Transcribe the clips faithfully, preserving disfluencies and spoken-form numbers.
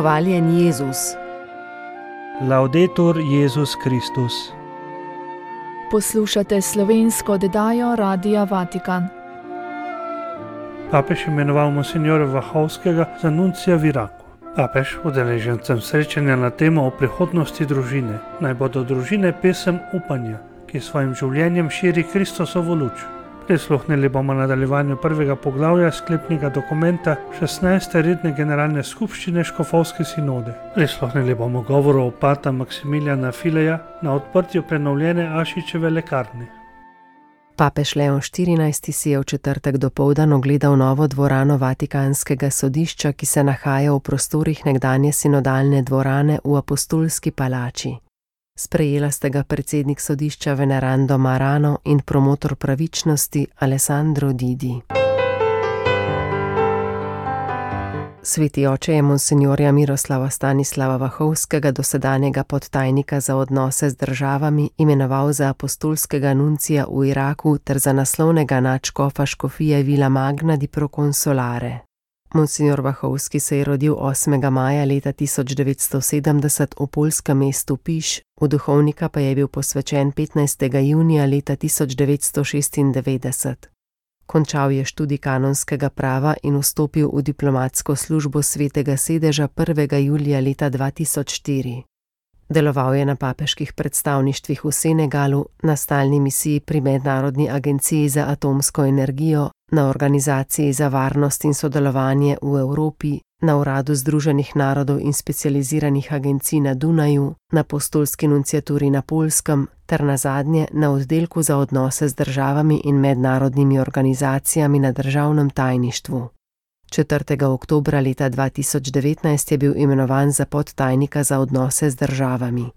Hvaljen Jezus. Laudetur Jezus Kristus. Poslušate slovensko oddajo Radia Vatikan. Papež imenoval monsignora Vahovskega za nuncija v Iraku. Papež udeležencem srečanja na temo o prihodnosti družine. Naj bodo družine pesem upanja, ki svojim življenjem širi Kristusovo luč. Prisluhnili bomo nadaljevanju prvega poglavja sklepnega dokumenta šestnajste redne generalne skupščine Škofovske sinode. Prisluhnili bomo govoru opata Maksimilijana Fileja na odprtju prenovljene Ašičeve lekarne. Papež Leon štirinajsti si je v četrtek dopoldan ogledal novo dvorano Vatikanskega sodišča, ki se nahaja v prostorih nekdanje sinodalne dvorane v Apostolski palači. Sprejela sta ga predsednik sodišča Venerando Marano in promotor pravičnosti Alessandro Didi. Sveti oče je monsinjorja Miroslava Stanislava Vahovskega, dosedanjega podtajnika za odnose z državami, imenoval za apostolskega nuncija v Iraku ter za naslovnega nadškofa škofije Vila Magna di Proconsolare. Monsignor Vahovski se je rodil osmega maja leta tisoč devetsto sedemdeset v poljskem mestu Piš, v duhovnika pa je bil posvečen petnajstega junija leta tisoč devetsto šestindevetdeset. Končal je študij kanonskega prava in vstopil v diplomatsko službo Svetega sedeža prvega julija leta dva tisoč štiri. Deloval je na papeških predstavništvih v Senegalu, na stalni misiji pri Mednarodni agenciji za atomsko energijo, na Organizaciji za varnost in sodelovanje v Evropi, na Uradu Združenih narodov in specializiranih agencij na Dunaju, na apostolski nunciaturi na Poljskem ter nazadnje na oddelku za odnose z državami in mednarodnimi organizacijami na državnem tajništvu. četrtega oktobra leta dva tisoč devetnajst je bil imenovan za podtajnika za odnose z državami.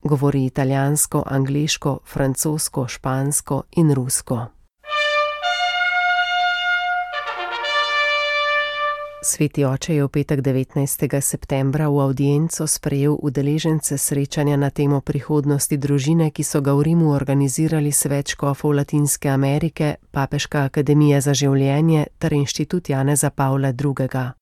Govori italijansko, angleško, francosko, špansko in rusko. Sveti oče je v petek devetnajstega septembra v avdienco sprejel udeležence srečanja na temo prihodnosti družine, ki so ga v Rimu organizirali Svet škofov Latinske Amerike, Papeška akademija za življenje ter Inštitut Janeza Pavla drugega.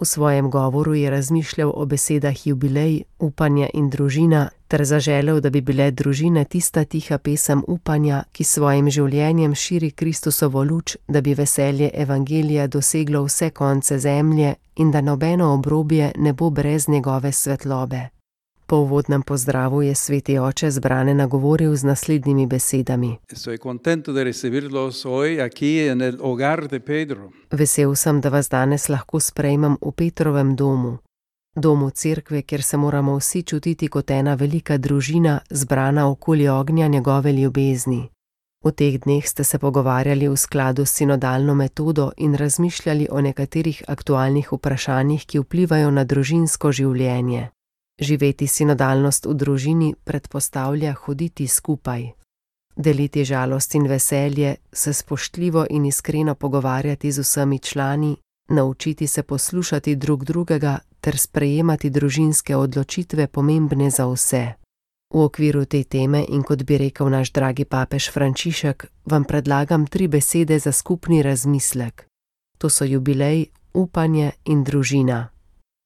V svojem govoru je razmišljal o besedah jubilej, upanje in družina ter zaželel, da bi bile družine tista tiha pesem upanja, ki svojim življenjem širi Kristusovo luč, da bi veselje evangelija doseglo vse konce zemlje in da nobeno obrobje ne bo brez njegove svetlobe. Po uvodnem pozdravu je sveti oče zbrane nagovoril z naslednjimi besedami. Vesel sem, da vas danes lahko sprejmem v Petrovem domu, domu cerkve, kjer se moramo vsi čutiti kot ena velika družina, zbrana okoli ognja njegove ljubezni. V teh dneh ste se pogovarjali v skladu s sinodalno metodo in razmišljali o nekaterih aktualnih vprašanjih, ki vplivajo na družinsko življenje. Živeti sinodalnost v družini predpostavlja hoditi skupaj. Deliti žalost in veselje, se spoštljivo in iskreno pogovarjati z vsemi člani, naučiti se poslušati drug drugega ter sprejemati družinske odločitve pomembne za vse. V okviru te teme in kot bi rekel naš dragi papež Frančišek, vam predlagam tri besede za skupni razmislek. To so jubilej, upanje in družina.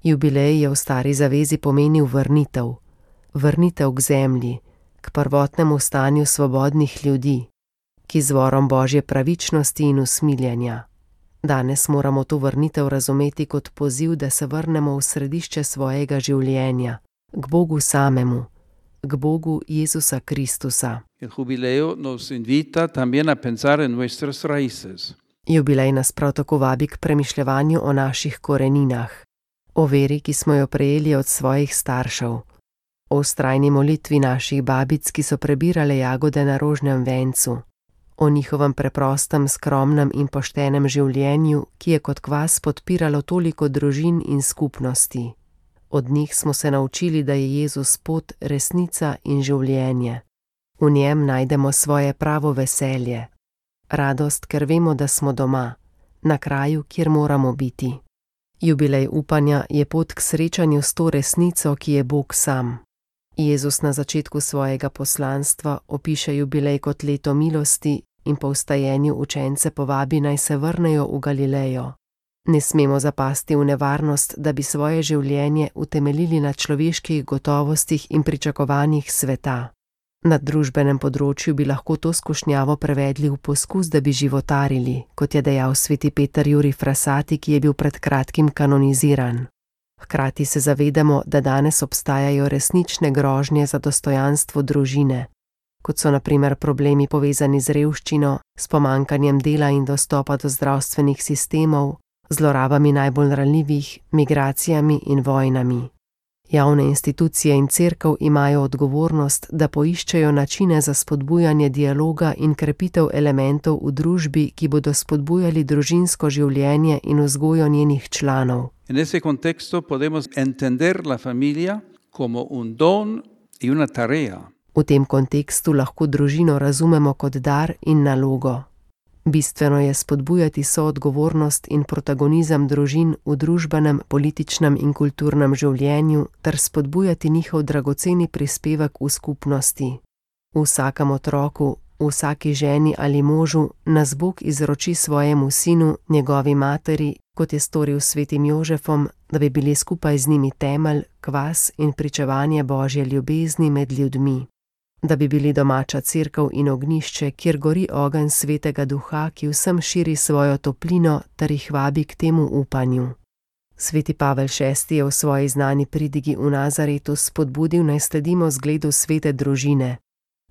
Jubilej je v stari zavezi pomenil vrnitev. Vrnitev k zemlji, k prvotnemu stanju svobodnih ljudi, k izvorom Božje pravičnosti in usmiljenja. Danes moramo to vrnitev razumeti kot poziv, da se vrnemo v središče svojega življenja, k Bogu samemu, k Bogu Jezusa Kristusa. Jubilej nas prav tako vabi k premišljevanju o naših koreninah, o veri, ki smo jo prejeli od svojih staršev, o vztrajni molitvi naših babic, ki so prebirale jagode na rožnem vencu, o njihovem preprostem, skromnem in poštenem življenju, ki je kot kvas podpiralo toliko družin in skupnosti. Od njih smo se naučili, da je Jezus pot, resnica in življenje. V njem najdemo svoje pravo veselje, radost, ker vemo, da smo doma, na kraju, kjer moramo biti. Jubilej upanja je pot k srečanju s to resnico, ki je Bog sam. Jezus na začetku svojega poslanstva opiše jubilej kot leto milosti in po vstajenju učence povabi, naj se vrnejo v Galilejo. Ne smemo zapasti v nevarnost, da bi svoje življenje utemeljili na človeških gotovostih in pričakovanjih sveta. Na družbenem področju bi lahko to skušnjavo prevedli v poskus, da bi životarili, kot je dejal sveti Peter Jurij Frassati, ki je bil pred kratkim kanoniziran. Hkrati se zavedamo, da danes obstajajo resnične grožnje za dostojanstvo družine, kot so na primer problemi povezani z revščino, s pomanjkanjem dela in dostopa do zdravstvenih sistemov, zlorabami najbolj ranljivih, migracijami in vojnami. Javne institucije in cerkev imajo odgovornost, da poiščejo načine za spodbujanje dialoga in krepitev elementov v družbi, ki bodo spodbujali družinsko življenje in vzgojo njenih članov. En ese contexto podemos entender la familia como un don y una tarea. V tem kontekstu lahko družino razumemo kot dar in nalogo. Bistveno je spodbujati soodgovornost in protagonizem družin v družbenem, političnem in kulturnem življenju ter spodbujati njihov dragoceni prispevek v skupnosti. V vsakem otroku, v vsaki ženi ali možu nas Bog izroči svojemu sinu, njegovi materi, kot je storil s svetim Jožefom, da bi bili skupaj z njimi temelj, kvas in pričevanje Božje ljubezni med ljudmi. Da bi bili domača cerkev in ognjišče, kjer gori ogenj svetega duha, ki vsem širi svojo toplino ter jih vabi k temu upanju. Sveti Pavel šesti je v svoji znani pridigi v Nazaretu spodbudil, naj sledimo zgledu svete družine,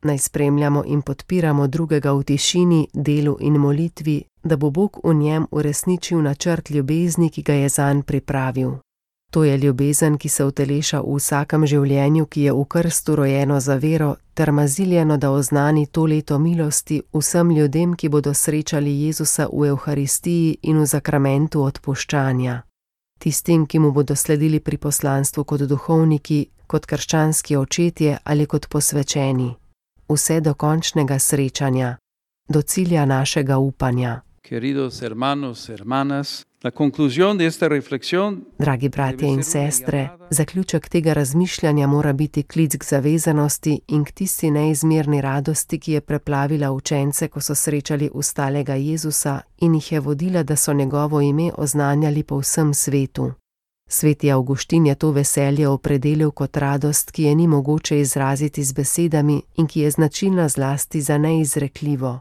naj spremljamo in podpiramo drugega v tišini, delu in molitvi, da bo Bog v njem uresničil načrt ljubezni, ki ga je zanj pripravil. To je ljubezen, ki se uteleša v vsakem življenju, ki je v krstu rojeno za vero, ter maziljeno, da oznani to leto milosti vsem ljudem, ki bodo srečali Jezusa v Evharistiji in v zakramentu odpuščanja. Tistim, ki mu bodo sledili pri poslanstvu kot duhovniki, kot krščanski očetje ali kot posvečeni. Vse do končnega srečanja, do cilja našega upanja. Queridos hermanos, hermanas, la conclusión de esta reflexión. Dragi bratje in sestre, zaključek tega razmišljanja mora biti klic k zavezanosti in k tisti neizmerni radosti, ki je preplavila učence, ko so srečali ustalega Jezusa in jih je vodila, da so njegovo ime oznanjali po vsem svetu. Sveti Avguštin je to veselje opredelil kot radost, ki je ni mogoče izraziti z besedami in ki je značilna zlasti za neizrekljivo.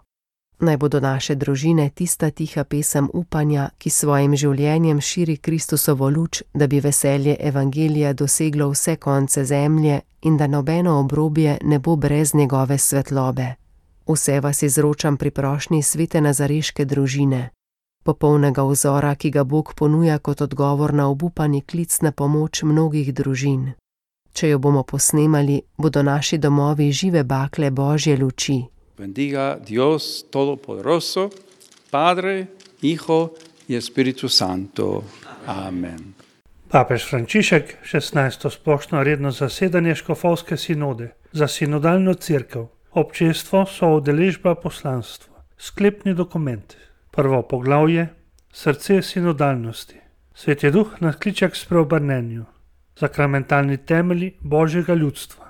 Naj bodo naše družine tista tiha pesem upanja, ki svojim življenjem širi Kristusovo luč, da bi veselje evangelija doseglo vse konce zemlje in da nobeno obrobje ne bo brez njegove svetlobe. Vse vas izročam pri prošnji svete nazareške družine, popolnega vzora, ki ga Bog ponuja kot odgovor na obupani klic na pomoč mnogih družin. Če jo bomo posnemali, bodo naši domovi žive bakle Božje luči. Bendiga Dios Todopoderoso, Padre, Hijo y Espíritu Santo. Amen. Papež Frančišek, šestnajsto splošno redno zasedanje škofovske sinode za sinodalno cerkev, občestvo, soudeležba, poslanstvo. Sklepni dokument. Prvo poglavje, srce sinodalnosti. Sveti Duh nas kliče k spreobrnenju. Sakramentalni temelji Božjega ljudstva.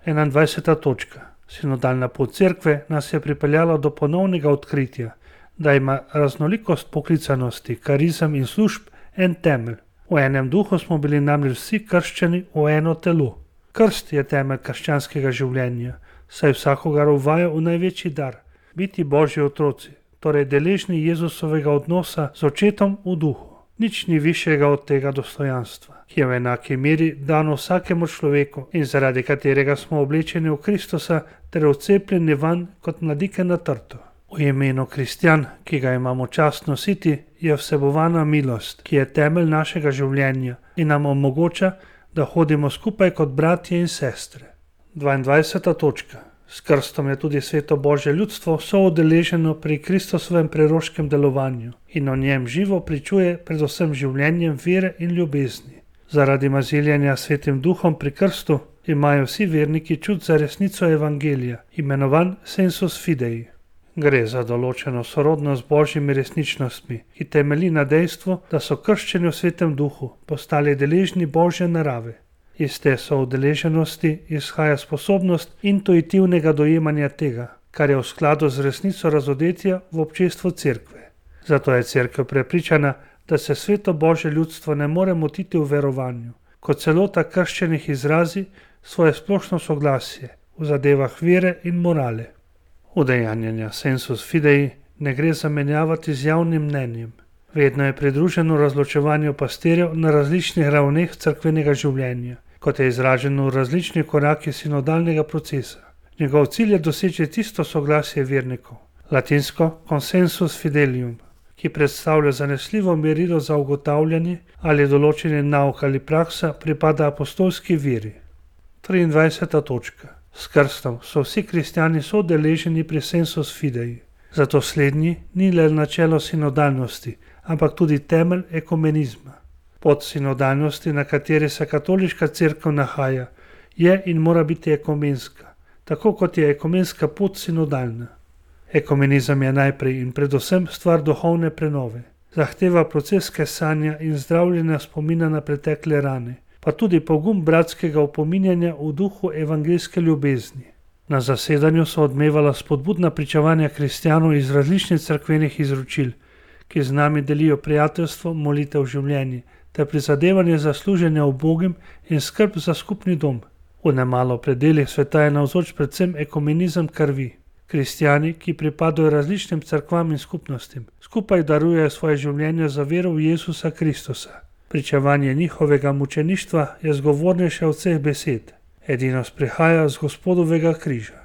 enaindvajseta točka. Sinodalna pot cerkve nas je pripeljala do ponovnega odkritja, da ima raznolikost poklicanosti, karizem in služb en temelj. V enem duhu smo bili namreč vsi krščeni v eno telo. Krst je temelj krščanskega življenja, saj vsakogar uvaja v največji dar, biti Božji otroci, torej deležni Jezusovega odnosa z očetom v duhu. Nič ni višjega od tega dostojanstva, ki je v enaki meri dano vsakemu človeku in zaradi katerega smo oblečeni v Kristusa ter vcepljeni vanj kot mladike na trto. V imenu kristjan, ki ga imamo čast nositi, je vsebovana milost, ki je temelj našega življenja in nam omogoča, da hodimo skupaj kot bratje in sestre. dvaindvajseta točka. S krstom je tudi sveto Božje ljudstvo soudeleženo pri Kristusovem preroškem delovanju in o njem živo pričuje predvsem življenjem vere in ljubezni. Zaradi maziljenja svetim duhom pri krstu imajo vsi verniki čut za resnico evangelija, imenovan sensus fidei. Gre za določeno sorodnost z Božjimi resničnostmi, ki temelji na dejstvu, da so krščeni v svetem duhu postali deležni Božje narave. Iz te soudeleženosti izhaja sposobnost intuitivnega dojemanja tega, kar je v skladu z resnico razodetja v občestvu cerkve. Zato je cerkev prepričana, da se sveto Božje ljudstvo ne more motiti v verovanju, kot celota krščenih izrazi svoje splošno soglasje v zadevah vere in morale. Udejanjanja sensus fidei ne gre zamenjavati z javnim mnenjem. Vedno je pridruženo razločevanju pastirjev na različnih ravneh cerkvenega življenja, kot je izraženo v različnih korakih sinodalnega procesa. Njegov cilj je doseči tisto soglasje vernikov, latinsko consensus fidelium, ki predstavlja zanesljivo merilo za ugotavljanje, ali določeni nauk ali praksa pripada apostolski veri. triindvajseta točka. S krstom so vsi kristjani soudeleženi pri sensus fidei. Zato slednji ni le načelo sinodalnosti, ampak tudi temelj ekumenizma. Pot sinodalnosti, na kateri se katoliška cerkev nahaja, je in mora biti ekumenska, tako kot je ekumenska pot sinodalna. Ekumenizem je najprej in predvsem stvar duhovne prenove. Zahteva proces kesanja in zdravljenja spomina na pretekle rane, pa tudi pogum bratskega opominjanja v duhu evangeljske ljubezni. Na zasedanju so odmevala spodbudna pričevanja kristjanov iz različnih cerkvenih izročil, ki z nami delijo prijateljstvo, molitev življenje ter prizadevanje za služenje ubogim in skrb za skupni dom. V nemalo predelih sveta je navzoč predvsem ekumenizem krvi. Kristjani, ki pripadajo različnim cerkvam in skupnostim, skupaj darujejo svoje življenje za vero v Jezusa Kristusa. Pričevanje njihovega mučeništva je zgovornejše od vseh besed. Edinost prihaja z Gospodovega križa.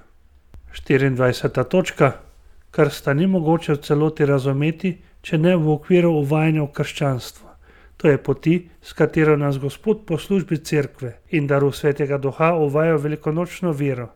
štiriindvajseta točka. Krsta ni mogoče v celoti razumeti, če ne v okviru uvajanja v krščanstvo. To je poti, s katero nas Gospod po službi cerkve in daru Svetega Duha uvaja velikonočno vero,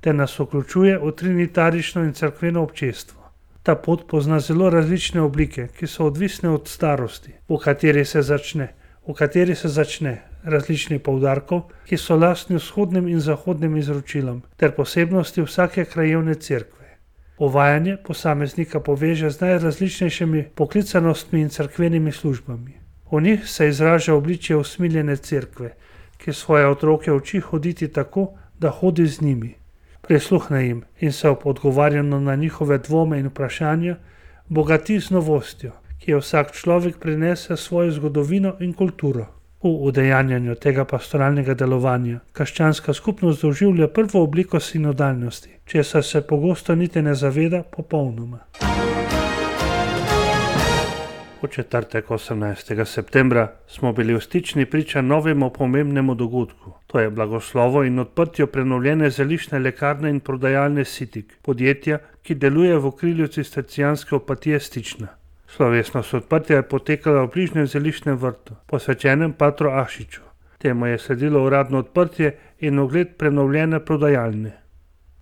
te nas vključuje v trinitarično in cerkveno občestvo. Ta pot pozna zelo različne oblike, ki so odvisne od starosti, v kateri se začne, v kateri se začne, različnih poudarkov, ki so lastni vzhodnim in zahodnim izročilom, ter posebnosti vsake krajevne cerkve. Uvajanje posameznika poveže z najrazličnejšimi poklicanostmi in cerkvenimi službami. V njih se izraža obličje usmiljene cerkve, ki svoje otroke uči hoditi tako, da hodi z njimi. Prisluhne jim in se ob odgovarjanju na njihove dvome in vprašanja bogati z novostjo, ki je vsak človek prinese svojo zgodovino in kulturo. V udejanjanju tega pastoralnega delovanja krščanska skupnost doživlja prvo obliko sinodalnosti, česar se pogosto niti ne zaveda popolnoma. V četrtek osemnajstega septembra smo bili v Stični priča novemu pomembnemu dogodku. To je blagoslovo in odprtje prenovljene zeliščne lekarne in prodajalne Sitik, podjetja, ki deluje v okrilju cistercijanske opatije Stična. Slovesnost odprtja je potekala v bližnjem zeliščnem vrtu, posvečenem patru Ašiču. Temu je sledilo uradno odprtje in ogled prenovljene prodajalne.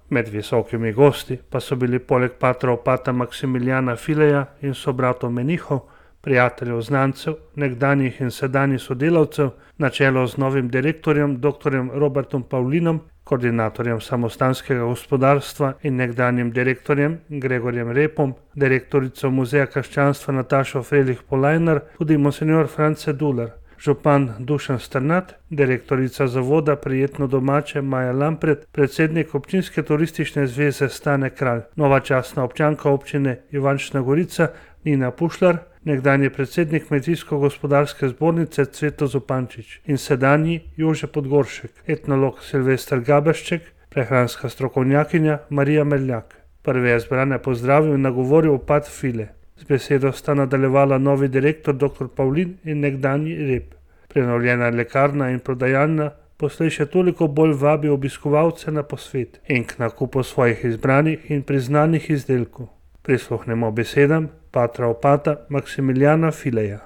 Med visokimi gosti pa so bili poleg patra opata Maksimiljana Fileja in sobratov menihov, prijateljev znancev, nekdanjih in sedanjih sodelavcev, na čelo z novim direktorjem dr. Robertom Pavlinom, koordinatorjem samostanskega gospodarstva in nekdanjim direktorjem Gregorjem Repom, direktorico Muzeja krščanstva Natašo Frelih Polajnar, tudi monsignor France Duler, župan Dušan Strnad, direktorica zavoda Prijetno domače Maja Lampret, predsednik občinske turistične zveze Stane Kralj, nova častna občanka občine Ivančna Gorica Nina Pušlar, nekdanji predsednik Kmetijsko-gospodarske zbornice Cveto Zupančič in sedanji Jože Podgoršek, etnolog Silvester Gabešček, prehranska strokovnjakinja Marija Merljak. Prvi je zbrane pozdravil in nagovoril opat File. Z besedo sta nadaljevala novi direktor dr. Pavlin in nekdanji Rep. Prenovljena lekarna in prodajalna poslej še toliko bolj vabi obiskovalce na posvet in k nakupu svojih izbranih in priznanih izdelkov. Prisluhnemo besedam patra opata Maksimiljana Fileja.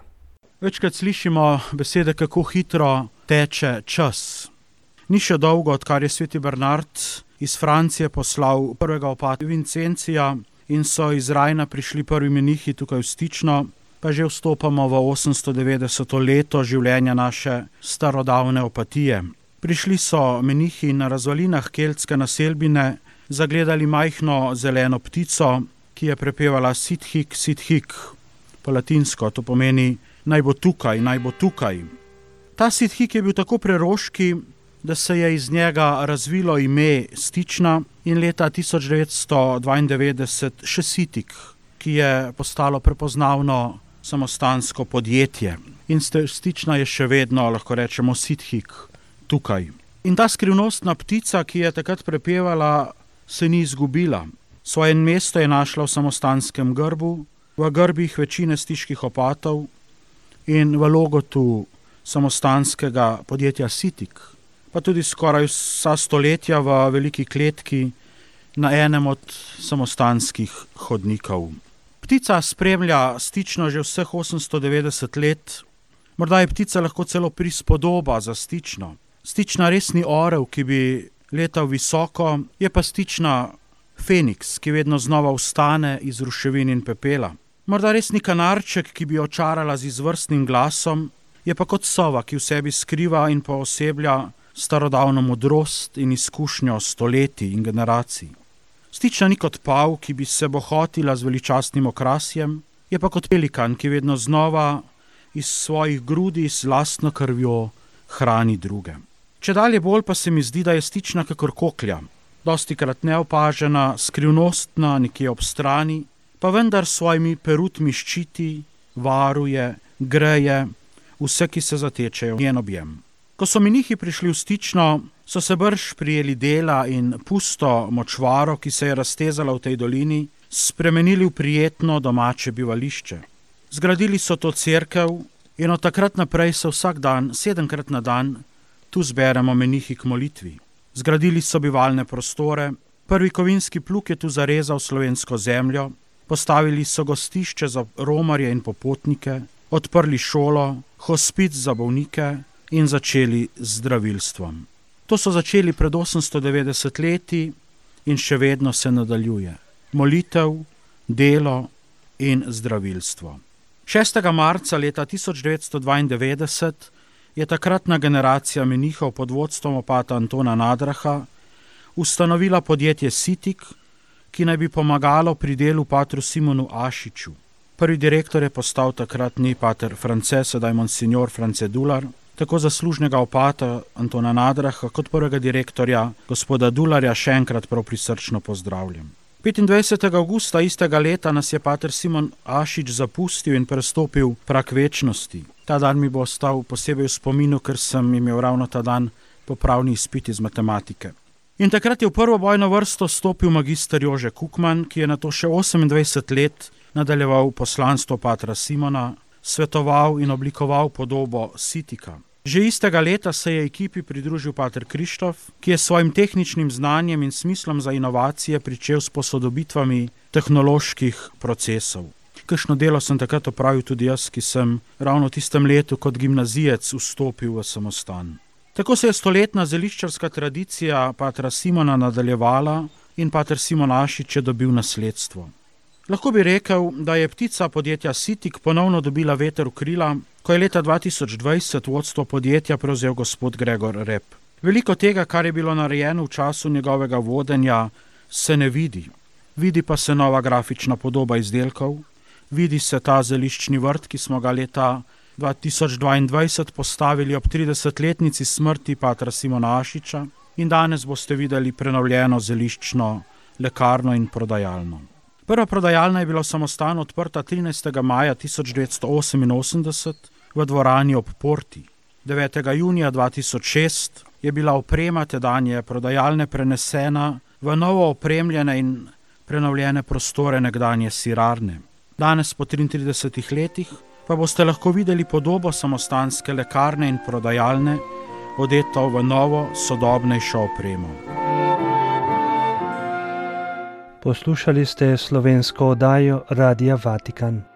Večkrat slišimo besede, kako hitro teče čas. Ni še dolgo, odkar je sveti Bernard iz Francije poslal prvega opata Vincencija in so iz Rajna prišli prvi menihi tukaj v Stično, pa že vstopamo v osemsto devetdeseto leto življenja naše starodavne opatije. Prišli so menihi na razvalinah keltske naselbine, zagledali majhno zeleno ptico, ki je prepevala Sithik, Sithik, po latinsko, to pomeni naj bo tukaj, naj bo tukaj. Ta Sithik je bil tako preroški, da se je iz njega razvilo ime Stična in leta tisoč devetsto dvaindevetdeset še Sitik, ki je postalo prepoznavno samostansko podjetje. In Stična je še vedno, lahko rečemo, sithik tukaj. In ta skrivnostna ptica, ki je takrat prepevala, se ni izgubila. Svoje mesto je našla v samostanskem grbu, v grbih večine stiških opatov in v logotu samostanskega podjetja Sitik, pa tudi skoraj vsa stoletja v veliki kletki na enem od samostanskih hodnikov. Ptica spremlja Stično že vseh osemsto devetdeset let, morda je ptica lahko celo prispodoba za Stično. Stična res ni orel, ki bi letal visoko, je pa Stična Feniks, ki vedno znova vstane iz ruševin in pepela. Morda res ni kanarček, ki bi očarala z izvrstnim glasom, je pa kot sova, ki v sebi skriva in pooseblja starodavno modrost in izkušnjo stoletij in generacij. Stična ni kot pav, ki bi se bohotila z veličastnim okrasjem, je pa kot pelikan, ki vedno znova iz svojih grudi s lastno krvjo hrani druge. Čedalje bolj pa se mi zdi, da je Stična kakor koklja, dostikrat neopažena, skrivnostna, nekje ob strani, pa vendar s svojimi perutmi ščiti, varuje, greje vse, ki se zatečejo v njen objem. Ko so menihi prišli v Stično, so se brž prijeli dela in pusto močvaro, ki se je raztezala v tej dolini, spremenili v prijetno domače bivališče. Zgradili so to cerkev in od takrat naprej se vsak dan, sedemkrat na dan, tu zberemo menihi k molitvi. Zgradili so bivalne prostore, prvi kovinski plug je tu zarezal slovensko zemljo, postavili so gostišče za romarje in popotnike, odprli šolo, hospic za bolnike in začeli z zdravilstvom. To so začeli pred osemsto devetdeset leti in še vedno se nadaljuje. Molitev, delo in zdravilstvo. šestega marca leta tisoč devetsto dvaindevetdeset je takratna generacija menihov pod vodstvom opata Antona Nadraha ustanovila podjetje Sitik, ki naj bi pomagalo pri delu patru Simonu Ašiču. Prvi direktor je postal takratni pater France, sedaj monsignor France Dular, tako zaslužnega opata Antona Nadraha kot prvega direktorja gospoda Dularja še enkrat prav prisrčno pozdravljam. petindvajsetega avgusta istega leta nas je pater Simon Ašič zapustil in prestopil prag večnosti. Ta dan mi bo ostal posebej v spominu, ker sem imel ravno ta dan popravni izpit iz matematike. In takrat je v prvo bojno vrsto stopil magister Jože Kukman, ki je nato še osemindvajset let nadaljeval poslanstvo patra Simona, svetoval in oblikoval podobo Sitika. Že istega leta se je ekipi pridružil pater Krištof, ki je s svojim tehničnim znanjem in smislom za inovacije pričel s posodobitvami tehnoloških procesov. Kakšno delo sem takrat opravil tudi jaz, ki sem ravno v tistem letu kot gimnazijec vstopil v samostan. Tako se je stoletna zeliščarska tradicija patra Simona nadaljevala in pater Simon Ašič je dobil nasledstvo. Lahko bi rekel, da je ptica podjetja Sitik ponovno dobila veter v krila, ko je leta dva tisoč dvajset vodstvo podjetja prevzel gospod Gregor Rep. Veliko tega, kar je bilo narejeno v času njegovega vodenja, se ne vidi. Vidi pa se nova grafična podoba izdelkov, vidi se ta zeliščni vrt, ki smo ga leta dva tisoč dvaindvajset postavili ob tridesetletnici smrti patra Simona Ašiča in danes boste videli prenovljeno zeliščno lekarno in prodajalno. Prva prodajalna je bila v samostanu odprta trinajstega maja tisoč devetsto oseminosemdeset v dvorani ob Porti. devetega junija dva tisoč šest je bila oprema tedanje prodajalne prenesena v novo opremljene in prenovljene prostore nekdanje sirarne. Danes po triintridesetih letih pa boste lahko videli podobo samostanske lekarne in prodajalne, odeto v novo, sodobnejšo opremo. Poslušali ste slovensko oddajo Radia Vatikan.